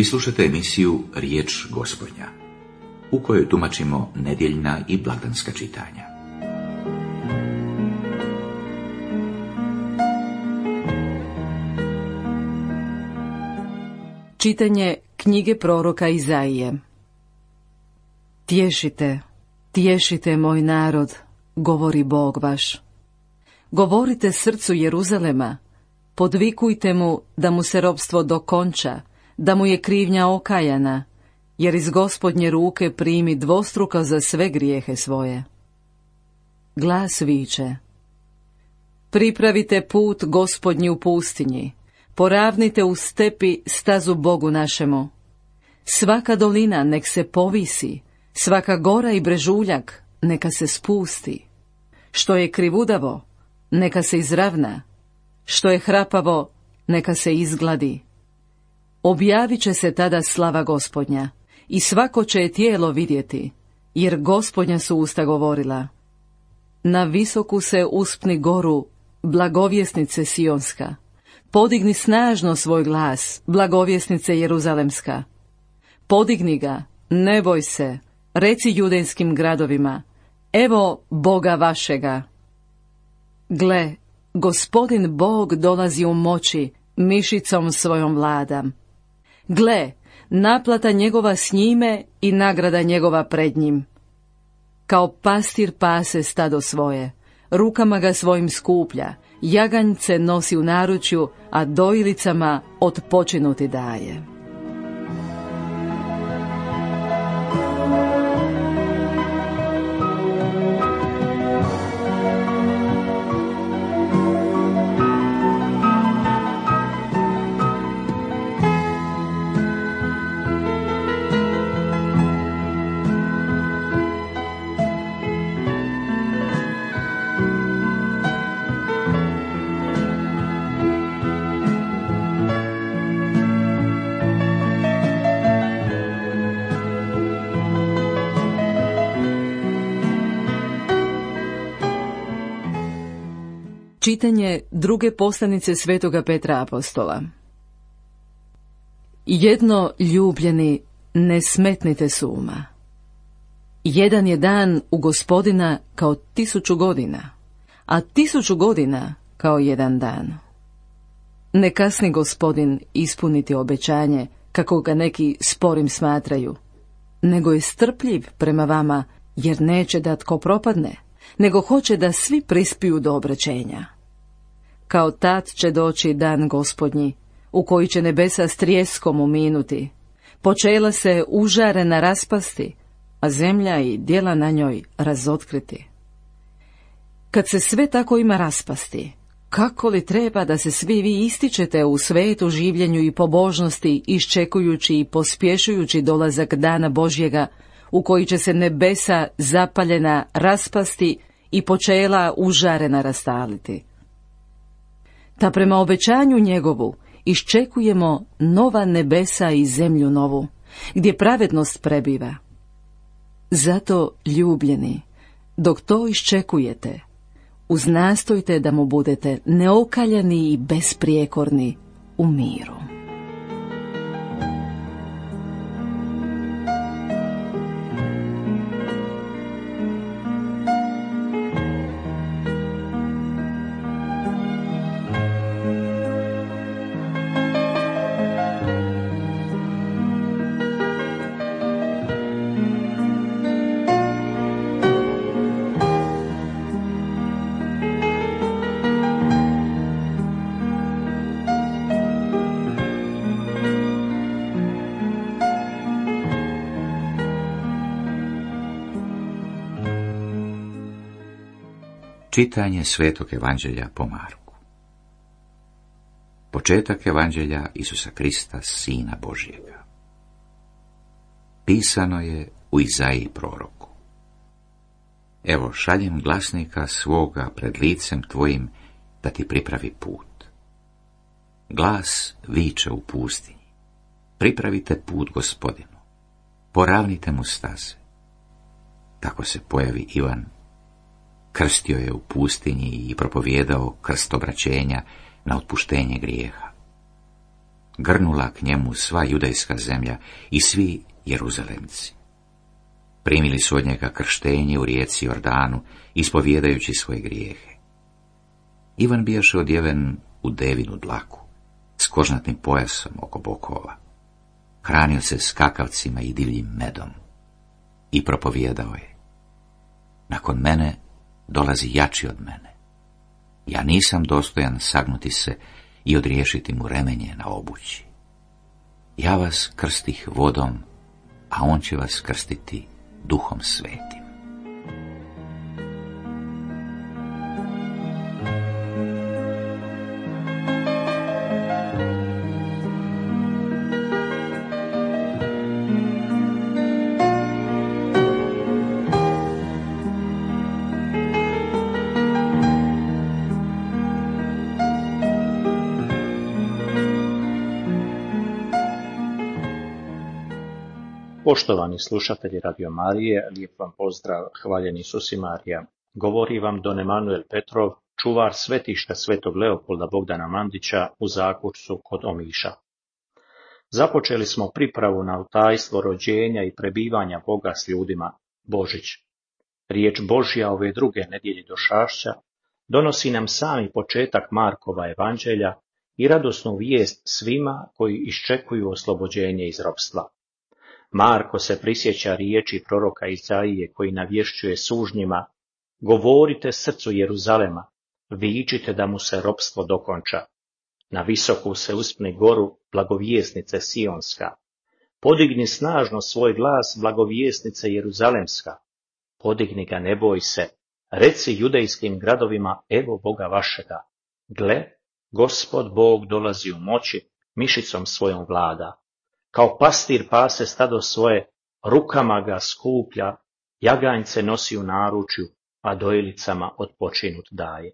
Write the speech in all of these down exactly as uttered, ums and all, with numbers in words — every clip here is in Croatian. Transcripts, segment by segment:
Vi slušate emisiju Riječ Gospodnja, u kojoj tumačimo nedjeljna i blagdanska čitanja. Čitanje knjige proroka Izaije. Tješite, tješite moj narod, govori Bog vaš. Govorite srcu Jeruzalema, podvikujte mu da mu se ropstvo dokonča, da mu je krivnja okajana, jer iz Gospodnje ruke primi dvostruko za sve grijehe svoje. Glas viče: pripravite put Gospodnji u pustinji, poravnite u stepi stazu Bogu našemu. Svaka dolina nek se povisi, svaka gora i brežuljak neka se spusti. Što je krivudavo, neka se izravna, što je hrapavo, neka se izgladi. Objavit će se tada slava Gospodnja, i svako će je tijelo vidjeti, jer Gospodnja su usta govorila. Na visoku se uspni goru, blagovjesnice Sionska, podigni snažno svoj glas, blagovjesnice Jeruzalemska. Podigni ga, ne boj se, reci judejskim gradovima, evo Boga vašega. Gle, Gospodin Bog dolazi u moći, mišicom svojom vladam. Gle, naplata njegova s njime i nagrada njegova pred njim. Kao pastir pase stado svoje, rukama ga svojim skuplja, jaganjce nosi u naručju, a dojilicama otpočinuti daje. Čitanje druge poslanice Svetoga Petra apostola. Jedno, ljubljeni, ne smetnite s uma. Jedan je dan u Gospodina kao tisuću godina, a tisuću godina kao jedan dan. Ne kasni Gospodin ispuniti obećanje, kako ga neki sporim smatraju, nego je strpljiv prema vama, jer neće da tko propadne, nego hoće da svi prispiju do obraćenja. Kao tad će doći dan Gospodnji, u koji će nebesa s trijeskom uminuti, počela se užarena raspasti, a zemlja i djela na njoj razotkriti. Kad se sve tako ima raspasti, kako li treba da se svi vi ističete u svetu življenju i pobožnosti, iščekujući i pospješujući dolazak dana Božjega, u koji će se nebesa zapaljena raspasti i počela užarena rastaliti. Ta prema obećanju njegovu iščekujemo nova nebesa i zemlju novu, gdje pravednost prebiva. Zato, ljubljeni, dok to iščekujete, uznastojte da mu budete neokaljani i besprijekorni u miru. Čitanje Svetog Evanđelja po Marku. Početak Evanđelja Isusa Krista, Sina Božjega. Pisano je u Izaiji proroku. Evo, šaljem glasnika svoga pred licem tvojim da ti pripravi put. Glas viče u pustinji. Pripravite put Gospodinu. Poravnite mu staze. Tako se pojavi Ivan. Krstio je u pustinji i propovijedao krst obraćenja na otpuštenje grijeha. grnula k njemu sva judejska zemlja i svi Jeruzalemci. Primili su od njega krštenje u rijeci Jordanu, ispovjedajući svoje grijehe. Ivan bijaše odjeven u devinu dlaku, s kožnatnim pojasom oko bokova. Hranio se skakavcima i divljim medom. I propovijedao je: nakon mene dolazi jači od mene. Ja nisam dostojan sagnuti se i odriješiti mu remenje na obući. Ja vas krstih vodom, a on će vas krstiti Duhom Svetim. Poštovani slušatelji Radio Marije, lijep vam pozdrav, hvaljen Isus i Marija. Govori vam don Emanuel Petrov, čuvar svetišta svetog Leopolda Bogdana Mandića u Zakučcu kod Omiša. Započeli smo pripravu na tajstvo rođenja i prebivanja Boga s ljudima, Božić. Riječ Božja ove druge nedjelje došašća donosi nam sami početak Markova evanđelja i radosnu vijest svima koji iščekuju oslobođenje iz ropstva. Marko se prisjeća riječi proroka Izaije koji navješćuje sužnjima: govorite srcu Jeruzalema, vičite da mu se ropstvo dokonča. Na visoku se uspni goru, blagovjesnice Sionska. Podigni snažno svoj glas, blagovjesnice Jeruzalemska. Podigni ga, ne boj se. Reci judejskim gradovima: evo Boga vašega. Gle, Gospod Bog dolazi u moći, mišicom svojom vlada. Kao pastir pase stado svoje, rukama ga skuplja, jaganjce nosi u naručju, a dojelicama odpočinut daje.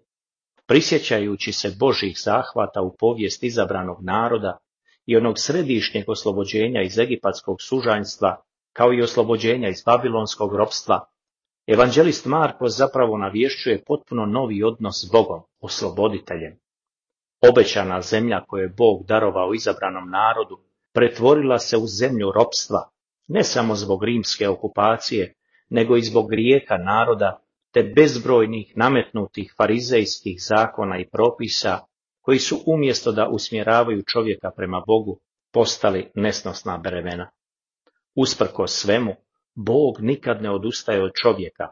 Prisjećajući se Božjih zahvata u povijest izabranog naroda i onog središnjeg oslobođenja iz egipatskog sužanjstva, kao i oslobođenja iz babilonskog ropstva, evanđelist Marko zapravo navješćuje potpuno novi odnos s Bogom, osloboditeljem. Obećana zemlja koju je Bog darovao izabranom narodu pretvorila se u zemlju ropstva, ne samo zbog rimske okupacije, nego i zbog grijeha naroda te bezbrojnih nametnutih farizejskih zakona i propisa koji su umjesto da usmjeravaju čovjeka prema Bogu postali nesnosna bremena. Usprkos svemu, Bog nikad ne odustaje od čovjeka.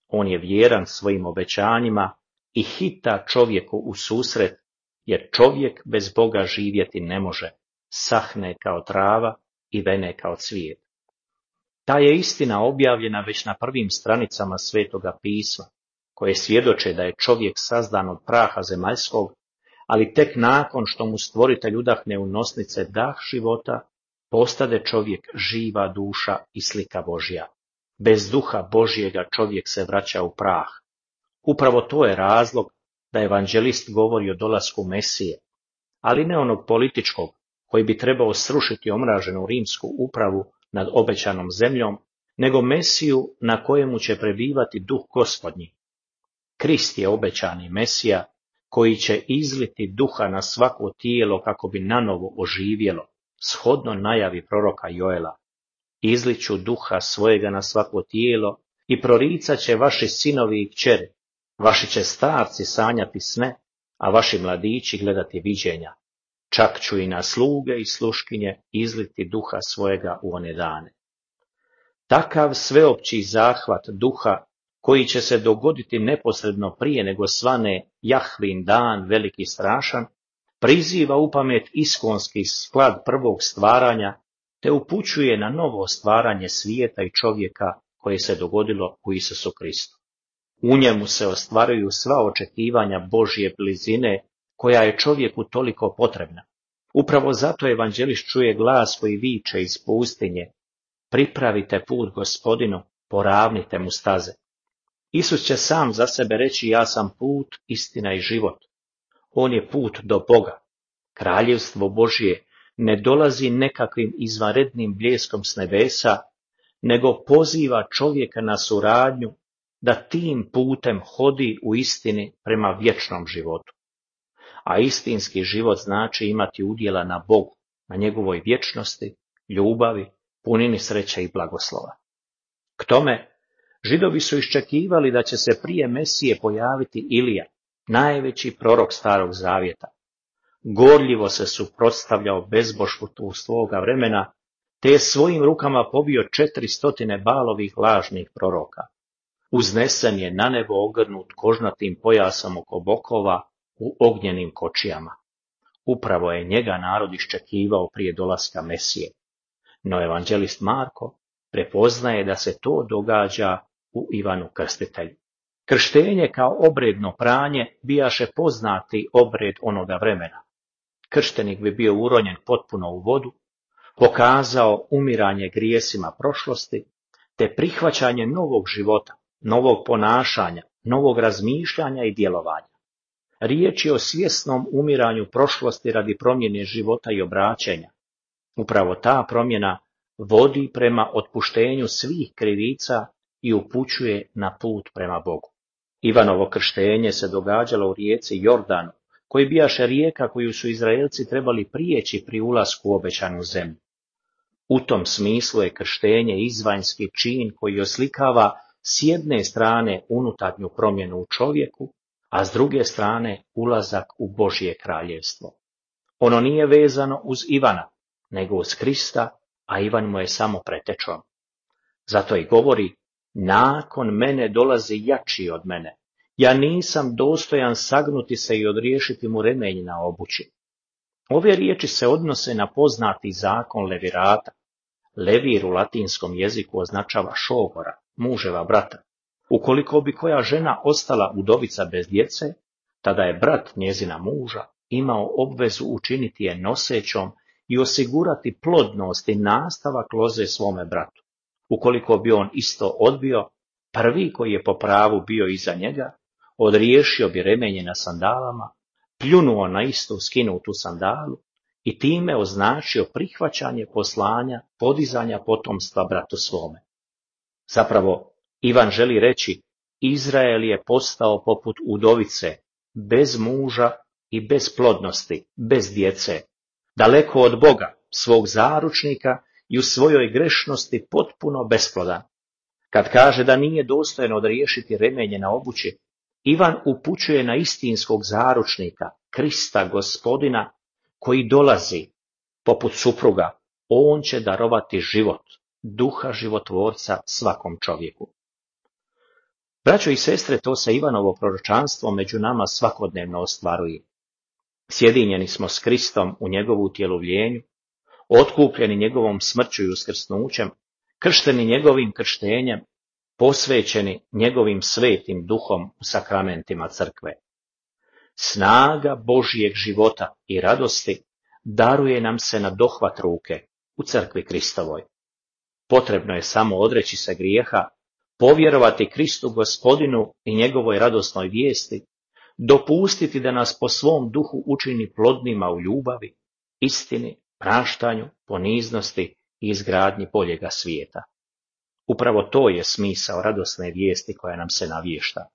On je vjeran svojim obećanjima i hita čovjeku u susret, jer čovjek bez Boga živjeti ne može. Sahne kao trava i vene kao cvijet. Ta je istina objavljena već na prvim stranicama Svetoga pisma, koje svjedoče da je čovjek sazdan od praha zemaljskog, ali tek nakon što mu stvoritelj udahne u nosnice dah života, postade čovjek živa duša i slika Božja. Bez duha Božjega čovjek se vraća u prah. Upravo to je razlog da evanđelist govori o dolasku Mesije, ali ne onog političkog, koji bi trebao srušiti omraženu rimsku upravu nad obećanom zemljom, nego Mesiju na kojemu će prebivati duh Gospodnji. Krist je obećani Mesija, koji će izliti duha na svako tijelo kako bi nanovo oživjelo, shodno najavi proroka Joela. Izliću duha svojega na svako tijelo i proricat će vaši sinovi i kćeri, vaši će starci sanjati sne, a vaši mladići gledati viđenja. Čak ću i na sluge i sluškinje izliti duha svojega u one dane. Takav sveopći zahvat duha, koji će se dogoditi neposredno prije nego svane Jahvin dan veliki strašan, priziva u pamet iskonski sklad prvog stvaranja, te upućuje na novo stvaranje svijeta i čovjeka koje se dogodilo u Isusu Kristu. U njemu se ostvaruju sva očekivanja Božje blizine, koja je čovjeku toliko potrebna. Upravo zato evanđelist čuje glas koji viče iz pustinje: pripravite put Gospodinu, poravnite mu staze. Isus će sam za sebe reći: ja sam put, istina i život. On je put do Boga. Kraljevstvo Božje ne dolazi nekakvim izvanrednim bljeskom s nebesa, nego poziva čovjeka na suradnju da tim putem hodi u istini prema vječnom životu. A istinski život znači imati udjela na Bogu, na njegovoj vječnosti, ljubavi, punini sreće i blagoslova. K tome, Židovi su iščekivali da će se prije Mesije pojaviti Ilija, najveći prorok Starog Zavjeta. Gorljivo se suprotstavljao bezbožstvu svoga vremena, te je svojim rukama pobio četiri stotine Balovih lažnih proroka. Uznesen je na nebo ogrnut kožnatim pojasom oko bokova u ognjenim kočijama. Upravo je njega narod iščekivao prije dolaska Mesije. No evanđelist Marko prepoznaje da se to događa u Ivanu Krstitelju. Krštenje kao obredno pranje bijaše poznati obred onoga vremena. Krštenik bi bio uronjen potpuno u vodu, pokazao umiranje grijesima prošlosti, te prihvaćanje novog života, novog ponašanja, novog razmišljanja i djelovanja. Riječ je o svjesnom umiranju prošlosti radi promjene života i obraćenja. Upravo ta promjena vodi prema otpuštenju svih krivica i upućuje na put prema Bogu. Ivanovo krštenje se događalo u rijeci Jordanu, koji bijaše rijeka koju su Izraelci trebali prijeći pri ulasku u obećanu zemlju. U tom smislu je krštenje izvanjski čin koji oslikava s jedne strane unutarnju promjenu u čovjeku, a s druge strane ulazak u Božje kraljevstvo. Ono nije vezano uz Ivana, nego uz Krista, a Ivan mu je samo pretečom. Zato i govori, nakon mene dolazi jači od mene. Ja nisam dostojan sagnuti se i odriješiti mu remenj na obući. Ove riječi se odnose na poznati zakon levirata. Levir u latinskom jeziku označava šogora, muževa brata. Ukoliko bi koja žena ostala udovica bez djece, tada je brat njezina muža imao obvezu učiniti je nosećom i osigurati plodnost i nastavak loze svome bratu. Ukoliko bi on isto odbio, prvi koji je po pravu bio iza njega, odriješio bi remenje na sandalama, pljunuo na istu skinutu sandalu i time označio prihvaćanje poslanja podizanja potomstva bratu svome. Zapravo, Ivan želi reći, Izrael je postao poput udovice, bez muža i bez plodnosti, bez djece, daleko od Boga, svog zaručnika i u svojoj grešnosti potpuno besplodan. Kad kaže da nije dostojan odriješiti remenje na obući, Ivan upućuje na istinskog zaručnika, Krista Gospodina, koji dolazi poput supruga. On će darovati život, duha životvorca svakom čovjeku. Braćo i sestre, to se Ivanovo proročanstvo među nama svakodnevno ostvaruje. Sjedinjeni smo s Kristom u njegovu utjelovljenju, otkupljeni njegovom smrću i uskrsnućem, kršteni njegovim krštenjem, posvećeni njegovim svetim duhom u sakramentima crkve. Snaga Božjeg života i radosti daruje nam se na dohvat ruke u crkvi Kristovoj. Potrebno je samo odreći se grijeha, povjerovati Kristu Gospodinu i njegovoj radosnoj vijesti, dopustiti da nas po svom duhu učini plodnima u ljubavi, istini, praštanju, poniznosti i izgradnji boljega svijeta. Upravo to je smisao radosne vijesti koja nam se navješta.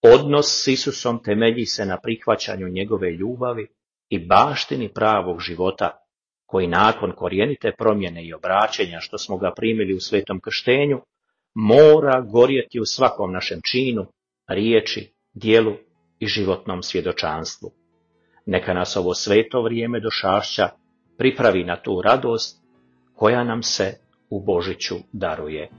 Odnos s Isusom temelji se na prihvaćanju njegove ljubavi i baštini pravog života, koji nakon korijenite promjene i obraćenja što smo ga primili u svetom krštenju, mora gorjeti u svakom našem činu, riječi, djelu i životnom svjedočanstvu. Neka nas ovo sveto vrijeme došašća pripravi na tu radost koja nam se u Božiću daruje.